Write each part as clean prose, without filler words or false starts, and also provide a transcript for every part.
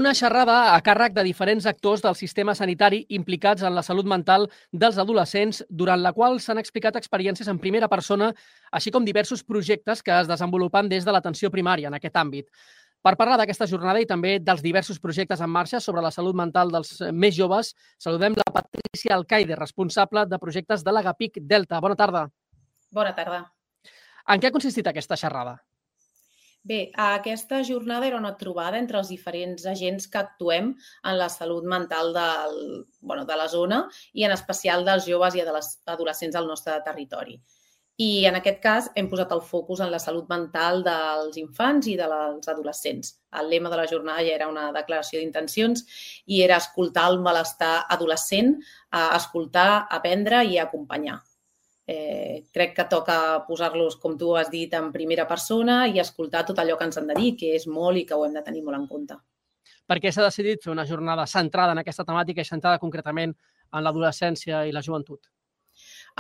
una xerrada a càrrec de diferents actors del sistema sanitari implicats en la salut mental dels adolescents, durant la qual s'han explicat experiències en primera persona, així com diversos projectes que es desenvolupen des de l'atenció primària en aquest àmbit. Per parlar d'aquesta jornada i també dels diversos projectes en marxa sobre la salut mental dels més joves, saludem la Patrícia Alcaide, responsable de projectes de l'Agapic Delta. Bona tarda. Bona tarda. En què ha consistit aquesta xerrada? Bé, aquesta jornada era una trobada entre els diferents agents que actuem en la salut mental de la zona i en especial dels joves i de les adolescents del nostre territori. I en aquest cas hem posat el focus en la salut mental dels infants i dels adolescents. El lema de la jornada ja era una declaració d'intencions i era escoltar el malestar adolescent, escoltar, aprendre i acompanyar. Crec que toca posar-los, com tu has dit, en primera persona i escoltar tot allò que ens han de dir, que és molt i que ho hem de tenir molt en compte. Per què s'ha decidit fer una jornada centrada en aquesta temàtica i centrada concretament en l'adolescència i la joventut?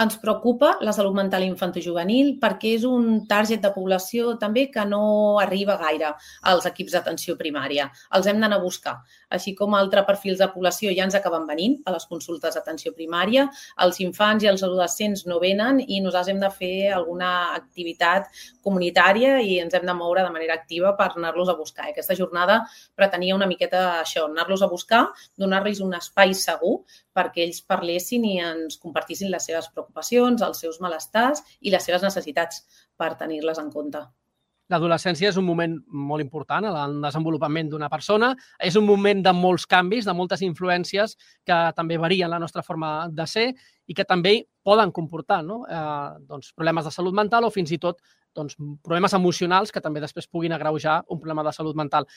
Ens preocupa la salut mental infantojuvenil perquè és un target de població també que no arriba gaire als equips d'atenció primària. Els hem d'anar a buscar. Així com altres perfils de població ja ens acaben venint a les consultes d'atenció primària, els infants i els adolescents no venen i nosaltres hem de fer alguna activitat comunitària i ens hem de moure de manera activa per anar-los a buscar. Aquesta jornada pretenia una miqueta això, anar-los a buscar, donar-los un espai segur perquè ells parlessin i ens compartissin les seves preocupacions, els seus malestars i les seves necessitats per tenir-les en compte. L'adolescència és un moment molt important en el desenvolupament d'una persona, és un moment de molts canvis, de moltes influències que també varien la nostra forma de ser i que també poden comportar problemes de salut mental o fins i tot problemes emocionals que també després puguin agreujar un problema de salut mental.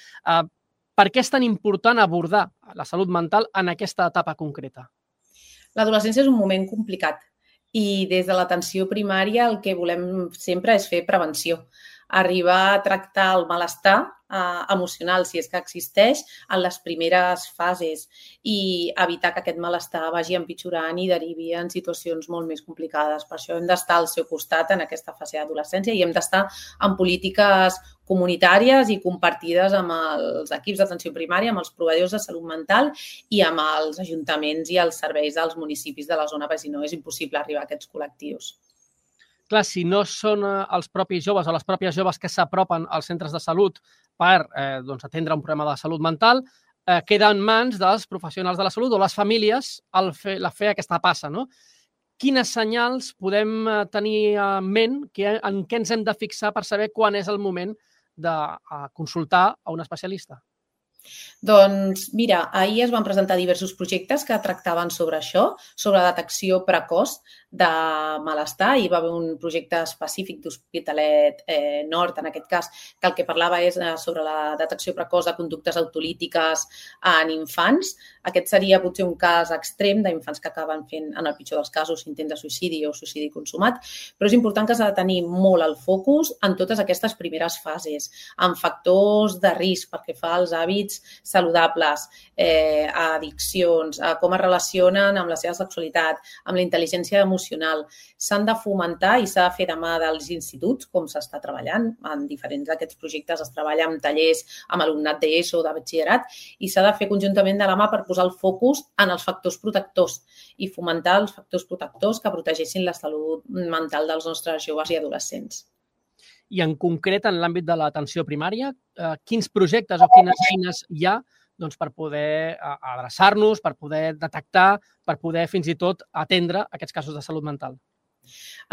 Per què és tan important abordar la salut mental en aquesta etapa concreta? L'adolescència és un moment complicat i des de l'atenció primària el que volem sempre és fer prevenció. Arribar a tractar el malestar emocional, si és que existeix, en les primeres fases i evitar que aquest malestar vagi empitjorant i derivi en situacions molt més complicades. Per això hem d'estar al seu costat en aquesta fase d'adolescència i hem d'estar en polítiques comunitàries i compartides amb els equips d'atenció primària, amb els proveïdors de salut mental i amb els ajuntaments i els serveis dels municipis de la zona, perquè si no és impossible arribar a aquests col·lectius. Clar, si no són els propis joves o les pròpies joves que s'apropen als centres de salut per atendre un problema de salut mental, queda en mans dels professionals de la salut o les famílies fer aquesta passa, no? Quines senyals podem tenir en ment, en què ens hem de fixar per saber quan és el moment de consultar a un especialista? Doncs mira, ahir es van presentar diversos projectes que tractaven sobre això, sobre la detecció precoç de malestar. Hi va haver un projecte específic d'Hospitalet Nord, en aquest cas, que el que parlava és sobre la detecció precoç de conductes autolítiques en infants. Aquest seria potser un cas extrem d'infants que acaben fent, en el pitjor dels casos, intent de suïcidi o suïcidi consumat, però és important que s'ha de tenir molt el focus en totes aquestes primeres fases, en factors de risc pel que fa als hàbits saludables, a addiccions, a com es relacionen amb la seva sexualitat, amb la intel·ligència emocional. S'han de fomentar i s'ha de fer de mà dels instituts, com s'està treballant. En diferents d'aquests projectes es treballa amb tallers amb alumnat d'ESO o de batxillerat i s'ha de fer conjuntament de la mà per posar el focus en els factors protectors i fomentar els factors protectors que protegeixin la salut mental dels nostres joves i adolescents. I en concret, en l'àmbit de l'atenció primària, quins projectes o quines eines hi ha per poder adreçar-nos, per poder detectar, per poder fins i tot atendre aquests casos de salut mental?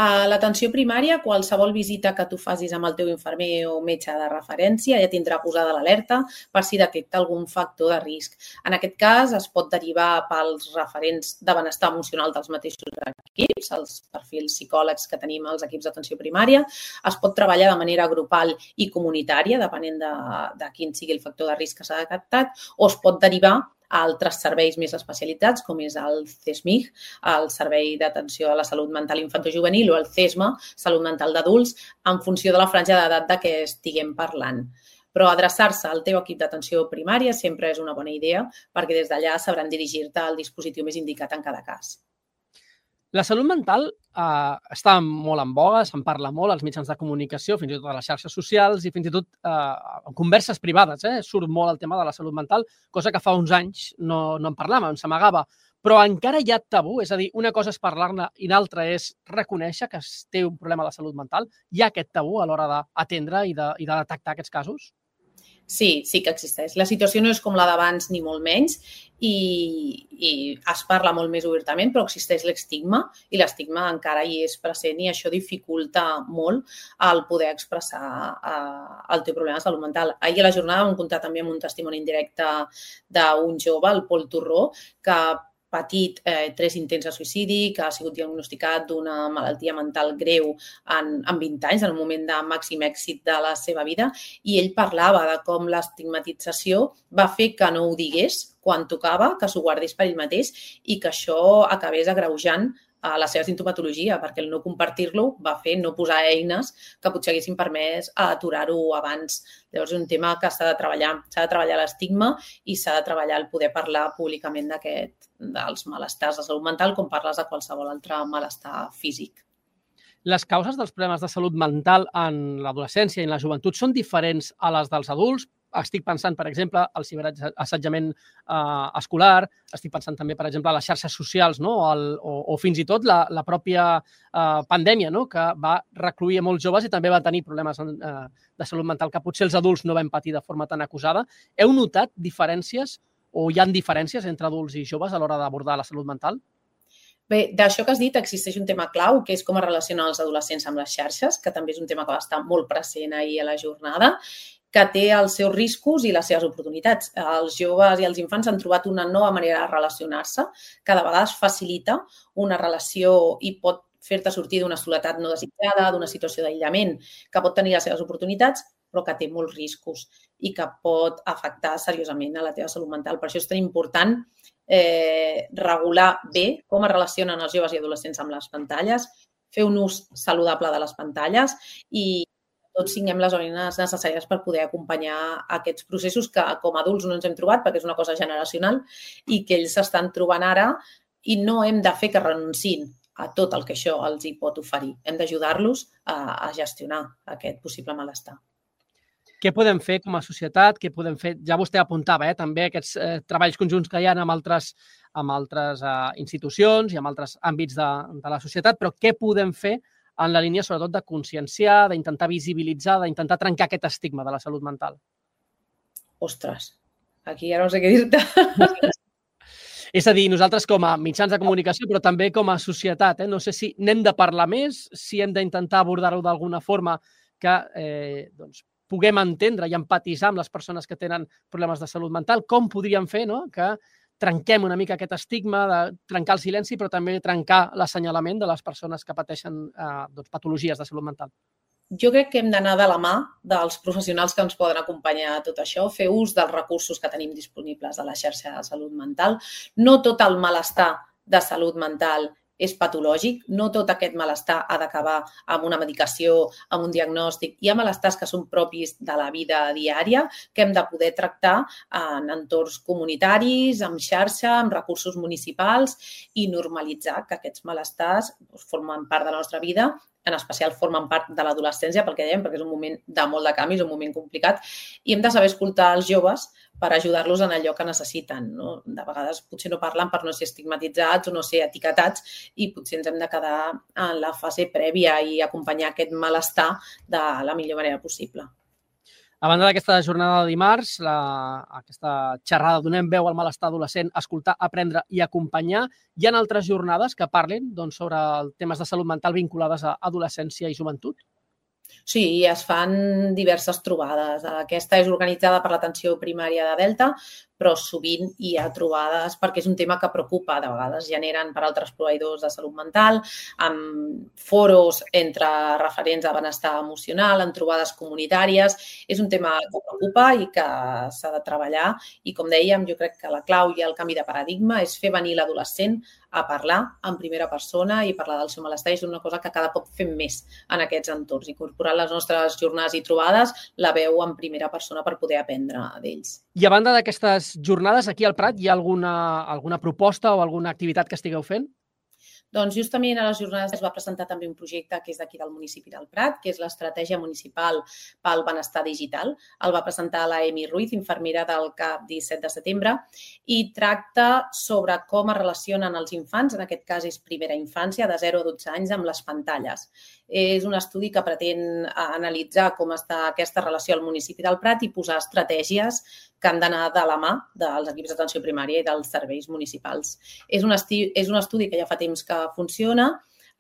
A l'atenció primària, qualsevol visita que tu facis amb el teu infermer o metge de referència ja tindrà posada l'alerta per si detecta algun factor de risc. En aquest cas, es pot derivar pels referents de benestar emocional dels mateixos equips, els perfils psicòlegs que tenim als equips d'atenció primària. Es pot treballar de manera grupal i comunitària, depenent de quin sigui el factor de risc que s'ha detectat, o es pot derivar a altres serveis més especialitzats, com és el CESMIG, el Servei d'Atenció a la Salut Mental Infantojuvenil, o el CESMA, Salut Mental d'Adults, en funció de la franja d'edat de què estiguem parlant. Però adreçar-se al teu equip d'atenció primària sempre és una bona idea, perquè des d'allà sabran dirigir-te al dispositiu més indicat en cada cas. La salut mental està molt en boga, se'n parla molt als mitjans de comunicació, fins i tot a les xarxes socials i fins i tot en converses privades. Surt molt el tema de la salut mental, cosa que fa uns anys no en parlàvem, s'amagava. Però encara hi ha tabú, és a dir, una cosa és parlar-ne i l'altra és reconèixer que es té un problema de salut mental. Hi ha aquest tabú a l'hora d'atendre i de detectar aquests casos? Sí que existeix. La situació no és com la d'abans ni molt menys i es parla molt més obertament, però existeix l'estigma i l'estigma encara hi és present i això dificulta molt el poder expressar el teu problema de salut mental. Ahir a la jornada vam comptar també amb un testimoni indirecte d'un jove, el Pol Torró, que ha patit 3 intents de suïcidi, que ha sigut diagnosticat d'una malaltia mental greu en 20 anys, en un moment de màxim èxit de la seva vida, i ell parlava de com l'estigmatització va fer que no ho digués quan tocava, que s'ho guardés per ell mateix i que això acabés agreujant a la seva sintomatologia, perquè el no compartir-lo va fer no posar eines que potser haguessin permès aturar-ho abans. Llavors és un tema que s'ha de treballar l'estigma i s'ha de treballar el poder parlar públicament dels malestars de salut mental com parles de qualsevol altre malestar físic. Les causes dels problemes de salut mental en l'adolescència i en la joventut són diferents a les dels adults? Estic pensant, per exemple, al ciberassetjament escolar, estic pensant també, per exemple, a les xarxes socials, no? o fins i tot la pròpia pandèmia, no? Que va recluir a molts joves i també va tenir problemes de salut mental que potser els adults no vam patir de forma tan acusada. Heu notat diferències o hi ha diferències entre adults i joves a l'hora d'abordar la salut mental? Bé, d'això que has dit existeix un tema clau, que és com es relacionen els adolescents amb les xarxes, que també és un tema que va estar molt present ahir a la jornada, que té els seus riscos i les seves oportunitats. Els joves i els infants han trobat una nova manera de relacionar-se que de vegades facilita una relació i pot fer-te sortir d'una soledat no desitjada, d'una situació d'aïllament, que pot tenir les seves oportunitats, però que té molts riscos i que pot afectar seriosament a la teva salut mental. Per això és tan important regular bé com es relacionen els joves i adolescents amb les pantalles, fer un ús saludable de les pantalles i tots tinguem les eines necessàries per poder acompanyar aquests processos que com a adults no ens hem trobat perquè és una cosa generacional i que ells s'estan trobant ara i no hem de fer que renunciïn a tot el que això els hi pot oferir. Hem d'ajudar-los a gestionar aquest possible malestar. Què podem fer com a societat? Què podem fer? Ja vostè apuntava també aquests treballs conjunts que hi ha amb altres institucions i amb altres àmbits de la societat, però què podem fer en la línia, sobretot, de conscienciar, d'intentar visibilitzar, d'intentar trencar aquest estigma de la salut mental? Ostres, aquí ja no sé què dir-te. És a dir, nosaltres com a mitjans de comunicació, però també com a societat, no sé si n'hem de parlar més, si hem d'intentar abordar-ho d'alguna forma que puguem entendre i empatitzar amb les persones que tenen problemes de salut mental. Com podríem fer que trenquem una mica aquest estigma, de trencar el silenci, però també trencar l'assenyalament de les persones que pateixen patologies de salut mental? Jo crec que hem d'anar de la mà dels professionals que ens poden acompanyar a tot això, fer ús dels recursos que tenim disponibles a la xarxa de salut mental. No tot el malestar de salut mental és patològic, no tot aquest malestar ha d'acabar amb una medicació, amb un diagnòstic. Hi ha malestars que són propis de la vida diària que hem de poder tractar en entorns comunitaris, amb xarxa, amb recursos municipals i normalitzar que aquests malestars formen part de la nostra vida, en especial formen part de l'adolescència, perquè és un moment de molt de canvi, és un moment complicat, i hem de saber escoltar els joves per ajudar-los en allò que necessiten. No? De vegades potser no parlen per no ser estigmatitzats o no ser etiquetats i potser ens hem de quedar en la fase prèvia i acompanyar aquest malestar de la millor manera possible. A banda d'aquesta jornada de dimarts, aquesta xerrada Donem veu al malestar adolescent, escoltar, aprendre i acompanyar, hi ha altres jornades que parlin sobre temes de salut mental vinculades a adolescència i joventut? Sí, es fan diverses trobades. Aquesta és organitzada per l'atenció primària de Delta, però sovint hi ha trobades perquè és un tema que preocupa. De vegades generen per altres proveïdors de salut mental, amb foros entre referents de benestar emocional, en trobades comunitàries. És un tema que preocupa i que s'ha de treballar. I com dèiem, jo crec que la clau i el canvi de paradigma és fer venir l'adolescent a parlar en primera persona i parlar del seu malestar. És una cosa que cada cop fem més en aquests entorns. Incorporar les nostres jornades i trobades la veu en primera persona per poder aprendre d'ells. I a banda d'aquestes jornades, aquí al Prat hi ha alguna proposta o alguna activitat que estigueu fent? Doncs justament a les jornades es va presentar també un projecte que és d'aquí del municipi del Prat, que és l'Estratègia Municipal pel Benestar Digital. El va presentar la Emi Ruiz, infermera del CAP 17 de setembre, i tracta sobre com es relacionen els infants, en aquest cas és primera infància, de 0 a 12 anys, amb les pantalles. És un estudi que pretén analitzar com està aquesta relació al municipi del Prat i posar estratègies que han d'anar de la mà dels equips d'atenció primària i dels serveis municipals. És un estudi que ja fa temps que funciona.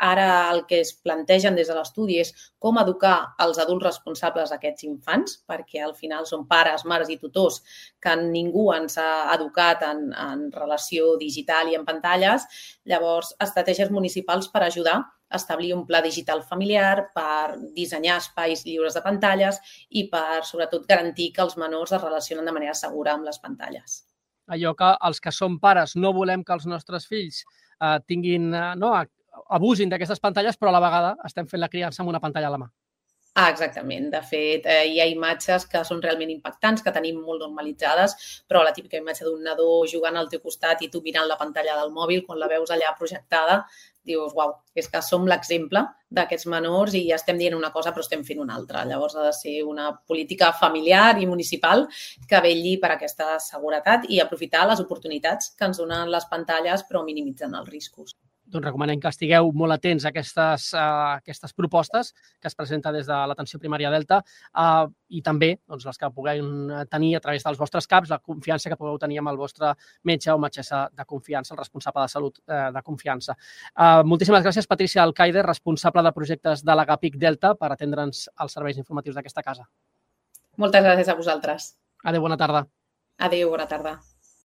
Ara el que es plantegen des de l'estudi és com educar els adults responsables d'aquests infants, perquè al final són pares, mares i tutors que ningú ens ha educat en relació digital i en pantalles. Llavors, estratègies municipals per ajudar a establir un pla digital familiar, per dissenyar espais lliures de pantalles i per, sobretot, garantir que els menors es relacionen de manera segura amb les pantalles. Allò que els que som pares no volem que els nostres fills abusin d'aquestes pantalles, però a la vegada estem fent la criança amb una pantalla a la mà. Exactament. De fet, hi ha imatges que són realment impactants, que tenim molt normalitzades, però la típica imatge d'un nadó jugant al teu costat i tu mirant la pantalla del mòbil, quan la veus allà projectada, dius, uau, és que som l'exemple d'aquests menors i ja estem dient una cosa però estem fent una altra. Llavors ha de ser una política familiar i municipal que vetlli per aquesta seguretat i aprofitar les oportunitats que ens donen les pantalles però minimitzant els riscos. Doncs recomanem que estigueu molt atents a aquestes propostes que es presenten des de l'atenció primària Delta i també les que puguem tenir a través dels vostres CAPs, la confiança que pugueu tenir amb el vostre metge o metgessa de confiança, el responsable de salut de confiança. Moltíssimes gràcies, Patrícia Alcaide, responsable de projectes de l'Agapic Delta, per atendre'ns als serveis informatius d'aquesta casa. Moltes gràcies a vosaltres. Adéu, bona tarda. Adéu, bona tarda.